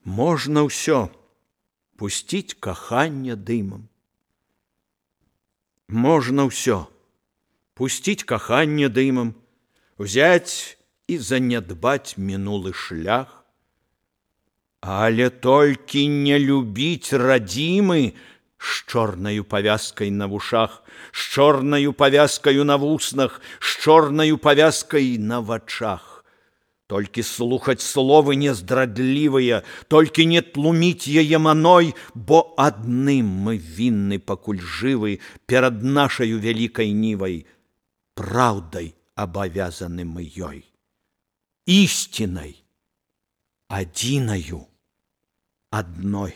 Можна ўсё пусціць каханне дымам. Можна ўсё пусціць каханне дымам, узяць і занядбаць мінулы шлях. Але толькі не любіць радзімы з чорнаю павязкай на вушах, з чорнаю павязкаю на вуснах, з чорнаю павязкай на вачах. Толькі слухаць словы нездрадлівыя, толькі не тлуміць яе маной, бо адным мы вінны, пакуль жывы, перад нашаю вялікай нівай. Праўдай абавязаны мы ёй, ісцінай, адзінаю, адной.